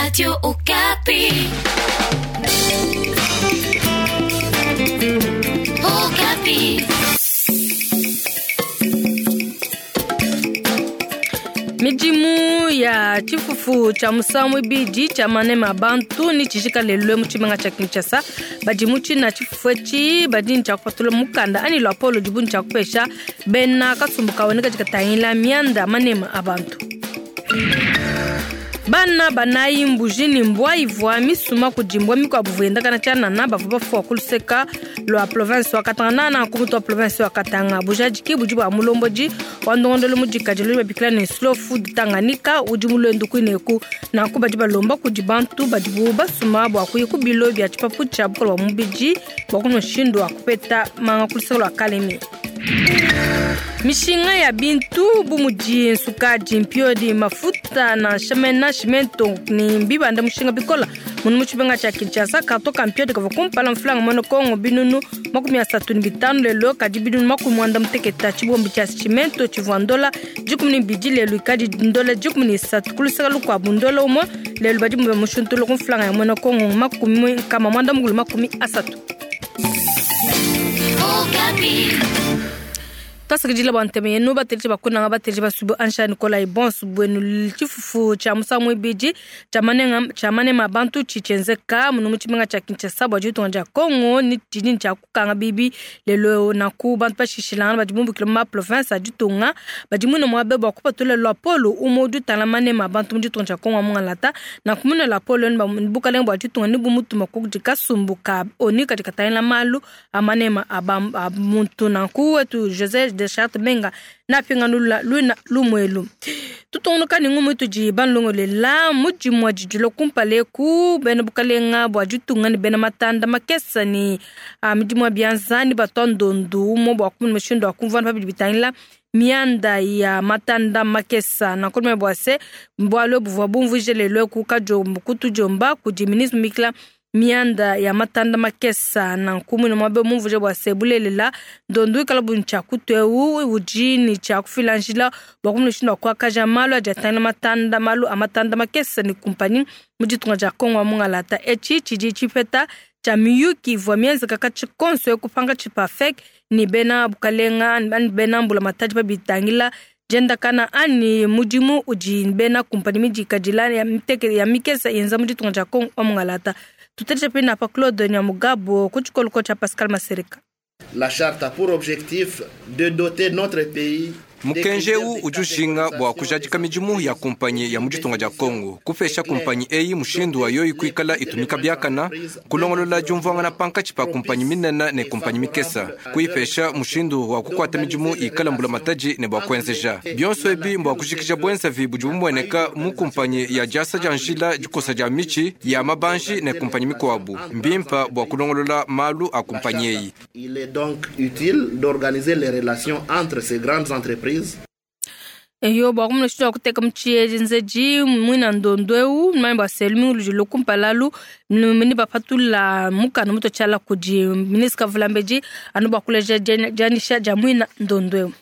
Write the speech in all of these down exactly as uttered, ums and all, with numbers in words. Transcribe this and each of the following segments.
Radio Okapi. Okapi. Midimu ya tshifufu tshia musangu ibidi tshia manema a bantu ni tshijika lelo mu tshimenga tshia Kinshasa. Badi mu tshina tshifufu etshi badi ne tshia kupatula mukanda anyi luapolo ludibu ne tshia kupesha bena kasumbu kawe ne kadi katangila mianda manema a bantu. Bana banayi mbuji ni mbwa ivua misuma kudi mbwa mikuabu vuendakana tshianana bavua bafua ku luseka lua province wa Katanga nana ku mutu wa province wa Katanga. Bujadiki budi bua mulombodi wa ndongondolo mudikadile udi babikila ne Slow Food Tanganyika udi mulwendu kuineku. Nanku badi balomba kudi bantu badibu basuma bua kuya ku bilo bia tshipapu tshia bukole bua mubidi bua kumona mushindu wa kupeta manga ku luseka lua Kalemi. Mishinga ya bintu bu mudi nsukadi, mpiodi, mafuta na shamena cimento ni mbibanda mushinga bikola munu mu tshimenga tshia Kinshasa. Karton ka mpiodi kavua kumpala mfulanga muena Kongo binunu makumi asatu ne bitanu lelo kadi binunu makumi muanda muteketa. Tshibombi tshia cimento tshivua ndola dikumi ne bibidi lelo ikadi ndola dikumi ne isatu. Ku luseka lukuabu ndola umue lelo badi bamushuntula ku mfulanga ya muena Kongo makumi nkama muanda mukulu makumi asatu. Okapi. Twasakidila bua ntema yenu bateleji bakunanga bateleji basubu Ansha Nikolai bonso bwenu. Tshifufu tshia musangu ibidi tshia manenga, tshia manema bantu tshitshienzeka munu mu tshimenga tshia Kinshasa bua ditunga dia Congo ni tshidi tshia kukanga bibi lelo nanku bantu bashishilangana badi bumbukile mu ma province a ditunga badi muine muabe bua kupatula luapolo umue udi utangila manema bantu mu ditunga dia Congo mungalata. Nanku muine luapolo ni bukalenge bua ditunga ni bumutuma kudi kasumbu ka ONU kadi katangila malu a manema a ba, a muntu. Nanku wetu José de Charte Benga napinga lula luna lumwelu. Tutungunuka ni ngumu tudi banlongolela mudimu wa didilo kumpala ku bena bukalenga bua ditunga ni bena matanda makesa ni a midimu ya bianza ni batwa ndondu umue bua kumona mushindu wa kumvuana pabidi bitangila mianda ya matanda makesa. Nanku bua se bualu buvua bumvuije lelo ku kajombo kutujomba kudi ministre mikla mianda ya matanda makesa. Nanku muine muabe mumvuje bua se bulelela ndondu ikala buni tshia kutu eu udi ni tshia kufila njila bua kumona mushindu wa kuakaja malu adi atangila matanda malu a matanda makesa ni kumpanyi mu ditunga dia Kongo wa mungalata. Etshi tshidi tshipeta tshia miyuki ivua mienzeka katshi konso ekupanga tshipafek ni bena bukalenga ani bena mbula matadi babitangila diendakana ani mudimu udi bena kumpanyi midikadila ya miteke ya mikesa yenza mu ditunga dia Kongo wa mungalata. Tuteleja pe na pa Claude Nyamugabo ku tshikoloko tshia Pascal Masereka. La charte a pour objectif de doter notre pays Mukenji eu udi ujinga bua kujadika midimu ya kumpanyi ya mu ditunga dia Kongo, kupesha kumpanyi eyi mushindu wa yoyi kuikala itumika biakana, kulongolola diumvuangana pankatshi pa kumpanyi minene ne kumpanyi mikesa, kuipesha mushindu wa kukuata midimu ikala mbula matadi ne bua kuenzeja bionso ebi mbua kujikija buenzavi budi bumueneka mu kumpanyi ya diasa dia njila dikosa dia mitshi ya mabanji ne kumpanyi mikuabu. Mbimpa bua kulongolola malu a kumpanyi eyi. Il est donc utile d'organiser les relations entre ces grandes entreprises. Eyo bua kumona mushindu wa kuteka mu tshienzeji muina ndondu eu manya bua se lumingu ludi lukumpalalu mini bapatula mukanda mutu tshiala kudi ministre Kavulambedi anu bua kuleja dianyisha dia muina ndondu eu.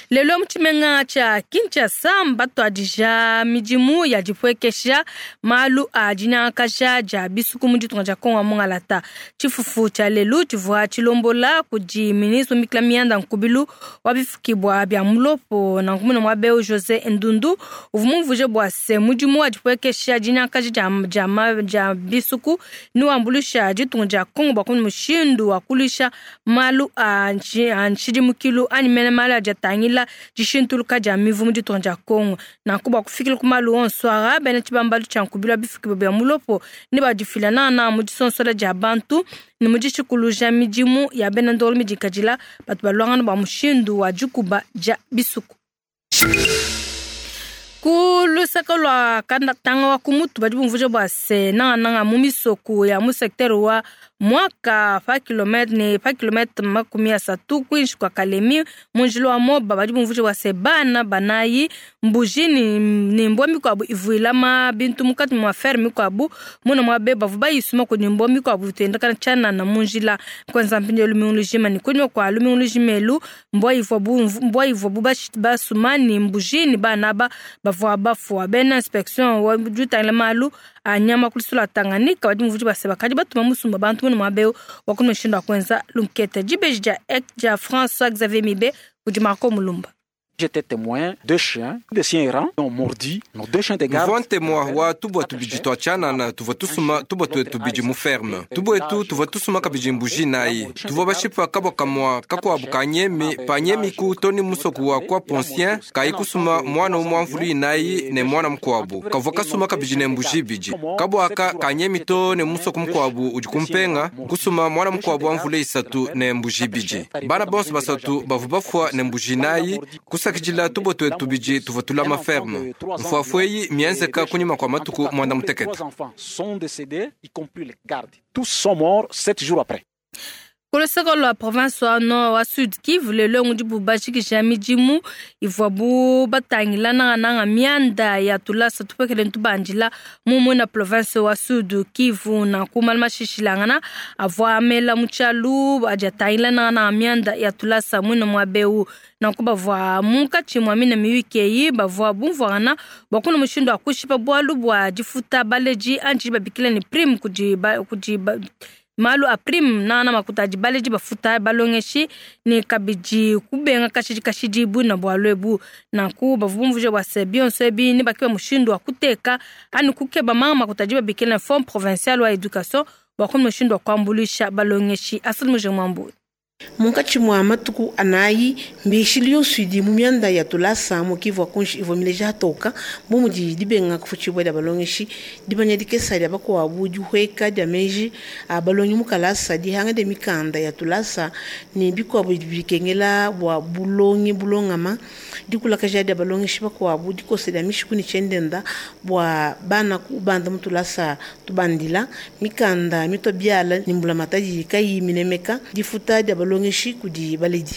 Lelo mu tshimenga tshia Kinshasa mbatuadija midimu ya dipuekesha malu a dinyangakaja dia bisuku mu ditunga dia Kongo mungalata. Tshifufu tshia lelu tshivua tshilombola kudi ministre Mikla Mianda Nkubilu wa bifukibwa bia mulopo nanku muine muaba eu José Ndundu uvua mumvuje bua se mudimu wa dipuekesha dinyangakaja dia, dia, dia bisuku ni wambuluisha ditunga dia Kongo bua kumona mushindu wa kuluisha malu a nshidimukilu anyi mene malu adi atangila dishintuluka dia mivu mu ditunga dia Kongo. Nanku bua kufikila ku malu onso ara bena tshibambalu tshia Nkubilu wa bifukibwa bia mulopo ne badifila nana mu disonsola dia bantu ne mu dishikuluja midimu ya bena ndolo midikadila batu baluangana bua mushindu wa dikuba dia bisuku. Ku lusaka lua Katanga wa ku mutu badi bumvuje bua se nangananga mu misoko ya mu secteur wa mwaka pa kilometre ne pa kilometre makumi asatu kuinshi kwa Kalemi mu njila wa Moba badi bumvuje bua se bana banayi mbuji ni, ni mbwa mikuabu ivuilama bintu mukati mwa ferme mikuabu muna mwa be bavu bayisuma kudi mbwa mikuabu itendakana tshianana mu njila kwanza mpindieu lumingu lujima ni kunyima kua lumingu lujima elu mbwa ivua bu mbwa ivua bu basuma ni mbuji ni bana aba bavua bafua. Bena inspection wa jutangila malu a nyama ku lusulu lua Tanganyika badi muvudi base bakadi batuma musumba bantu munu muaba eu wa kunu mushindu wa kuenza lunkete. Dibeji dia dia François Xavier Mibe kudi Marco Mulumba. J'étais témoin, deux chiens, des chiens errants ont mordu nos deux chiens de garde. Mvua ntemwa wa tubwa tubidi twa tshianana tuvua tusuma tubwa twetu bidi mu ferme. Tubwa etu tuvua tusuma kabidi mbuji nayi. Tuvua bashipa kabwa kamwa kakuabu kanyemi panyemi ku toni musoku wa kwa poncien kayi kusuma mwana umwa mvulu inayi ne mwana mukuabu. Kavua kasuma kabidi ne mbuji ibidi. Kabwa aka kanyemi to ne musoku mukuabu udi kumpenga kusuma mwana mukuabu wa mvulu isatu ne mbuji ibidi. Bana bonso basatu bavua bafua ne mbuji nayi kusa kusakidila tubwa twetu bidi tuvua tulama ferme. Mfuafu eyi mienzeka kunyima kwa matuku mwanda mutekete. Trois enfants sont décédés, y compris les gardes. Tous sont morts sept jours après. Ku luseke lua province wa nord wa Sud Kivu lelo ngudi bashikisha midimu ivuabu batangila nangananga mianda ya tulasa tupekele ntubandila mumu na province wa Sud Kivu na kumala mashishilangana avua amela mu tshialu adi atangila nangananga mianda ya tulasa muina muaba eu. Nanku bavua munkatshi mua mina miyuki eyi bavua bumvuangana bua kuna mushindu wa kushipa bualu bua difuta baledi anji babikila ne prime kudi ba, kudi ba, malu a prime nana makuta adi baledi bafuta balongeshi ne kabidi kubenga kashidi kashidi buna bualu ebu. Nanku bavua bumvuija bua se bionso ebi ne bakiba mushindu wa kuteka ani kukeba manga makuta adi babikila na fond provincial wa education bua kuna mushindu wa kuambuluisha balongeshi. Asili muje mwambu. Munkatshi mua matuku anayi mbishili yonso idi mu mianda ya tulasa mu Kivu kunshi ivua mileja atoka bu mudi dibenga kufutshibua dia balongeshi dimanya dikesa dia bakuabu dihueka dia meji a balongi mu kalasa dihanga dia mikanda ya tulasa ne bikuabu bikengela bua bulongi bulongama dikulakaja dia balongeshi bakuabu dikosa dia mishiku ne tshiendenda bua bana kubanda mu tulasa tubandila mikanda mitua biala ne mbulamatadi kayi minemeka difuta dia balongeshi kudi baledi.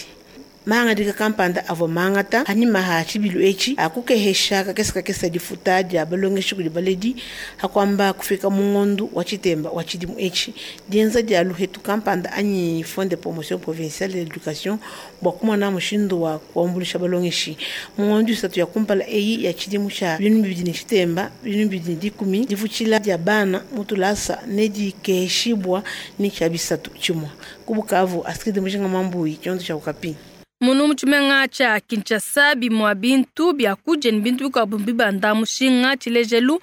Mahangadika kampanda avua mangata anima ha tshibilu etshi akukehesha kakesa kakesa difuta dia balongeshi kudi baledi hakuamba kufika mu ngondu wa tshitemba wa tshidimu etshi dienza dia luhetu kampanda anyi fond de promotion provinciale de l'éducation bua kumona mushindu wa kuambuluisha balongeshi mu ngondu isatu ya kumpala eyi ya tshidimu tshia binunu bibidi ne tshitemba binunu bibidi ne dikumi difutshila dia bana mu tulasa ne dikeheshibua ne tshia bisatu tshimue ku Bukavu. Asikidi Mujinga Mambuyi tshiondo tshia Okapi. Munu mu tshimenga tshia Kinshasa bimua bintu bia kudia ne bintu bikuabu bibanda mushinga tshilejelu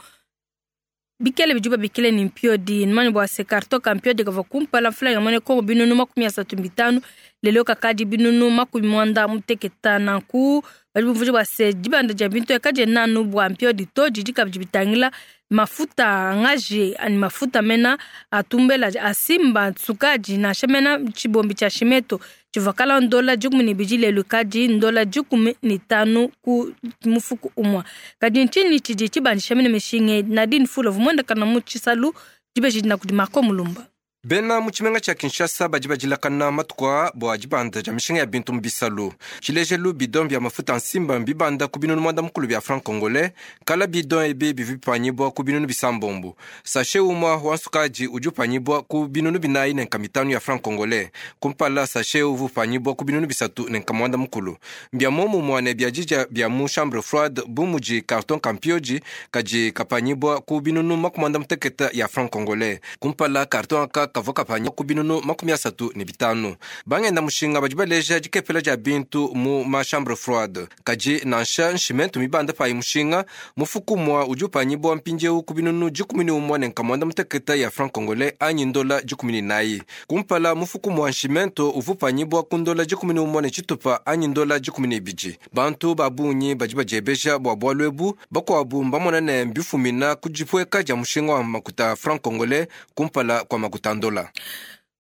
bikele bidi babikile ni mpiodi nimani bua se carton ka mpiodi kavua kumpala mfula ya mone Kongo binunu makumi asatu bitanu lelo kakadi binunu makumi mwanda muteketa. Nanku badi bumvuija bua se dibanda dia bintu ekadi nanu bua mpiodi to didi kabidi bitangila mafuta ngaji ani mafuta mena atumbela asimba sukadi nansha mena tshibombi tshia shimeto tshivua kala ndola dikumi ne bidi lelu kadi ndola dikumi ne tanu ku mufuku umua. Kadi ntshinyi tshidi tshibandisha mene mishinga? Nadine Fula vumuendekana mu tshisalu dibeji dina kudi Marco Mulumba. Bena mu tshimenga tshia Kinshasa badi badilakana matuku aa bua dibanda dia mishinga ya bintu mu bisalu. Tshilejelu bidon bia mafuta nsimba mbibanda ku binunu mwanda mukulu bia franc congolais, kala bidon ebi bivua bipanyibua ku binunu bisambombo. Sachet umua wa nsukadi udi upanyibua ku binunu binayi ne nkama itanu ya franc congolais, kumpala sachet uvua upanyibua ku binunu bisatu ne nkama mwanda mukulu. Mbia momumua ne bia didia bia mu chambre froide bu mudi carton kampioji kadi kapanyibua ku binunu makumi mwanda mutekete ya franc congolais, kumpala carton aka kavua kapanya ku binunu makumi asatu ne bitanu. Bangenda mushinga badi baleja dikepela dia bintu mu ma chambre froide kadi nansha nshimentu mibanda payi mushinga mufuku mwa udi upanyibua mpindieu ku binunu dikumi ne umua ne nkama mwanda mutekete ya franc congolais anyi ndola dikumi ne nayi. Kumpala mufuku mwa nshimento uvua upanyibua ku ndola dikumi ne umua ne tshitupa anyi ndola dikumi ne ibidi. Bantu ba bungi badi badiebeja bua bualu ebu, bakuabu mbamona ne mbifumina ku dipueka dia mushinga wa makuta franc congolais kumpala kwa makuta ndola.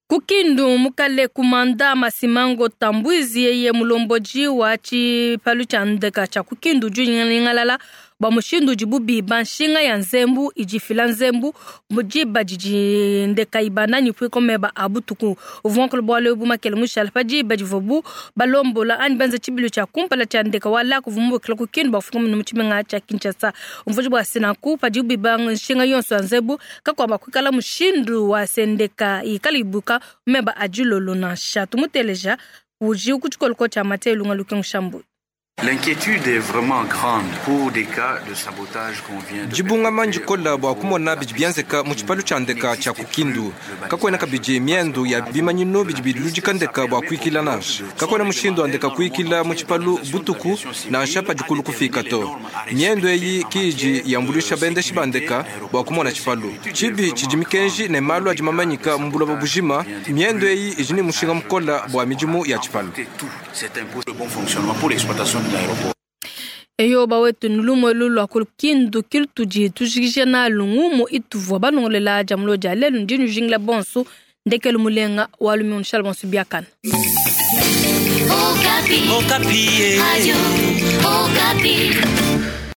Kukindu mukale kumanda Masimango Tambwizi yeye mulomboji wa tshipalu tshia ndeka tshia Kukindu udi unyingalala bua mushindu udibu biba nshinga ya nzembu idifila nzembu diba didi ndeka ibanda ne puiko meba a butuku. Uvua nkulu bualu ebu makele mushala pa diba divuabu balombola anyi benza tshibilu tshia kumpala tshia ndeka wa laku uvua mubukila Kukindu bua kufika mu tshimenga tshia Kinshasa. Umvuiji bua se nanku padibu biba nshinga yonso ya nzembu kakuamba kuikala mushindu wa se ndeka ikala ibuka meba a dilolo nansha. Tumuteleja udi ku tshikoloko tshia Mathieu Lunga Lukengu Shambu. L'inquiétude est vraiment grande pour des cas de sabotage qu'on vient de Dibungama ndikola bua kumona bidi bienzeka mu tshipalu tshia ndeka tshia ku Kindu. Kakuena kabidi miendu ya bimanyinu bidi biludika ndeka bua kuikila nansha. Kakuena mushindu wa ndeka kuikila mu tshipalu butuku nansha padikulu kufika to. Miendu eyi kiji yambuluisha bendeshi ba ndeka bua kumona tshipalu. Tshibi tshidi mikenji ne malu adi mamanyika mu buloba bujima. Miendu eyi idi ne mushinga mukola bua midimu ya tshipalu. C'est un le bon fonctionnement pour l'exploitation de l'aéroport. Eyo bawetu nulumo lulwa ku Kindu kilutudi tujikija nalu ngumu ituvua banongolela dia mulo dia lelu ndi nujingila bonso ndekelu mulenga wa lumi nshala bonso biakana. Okapi. Okapi. Radio Okapi.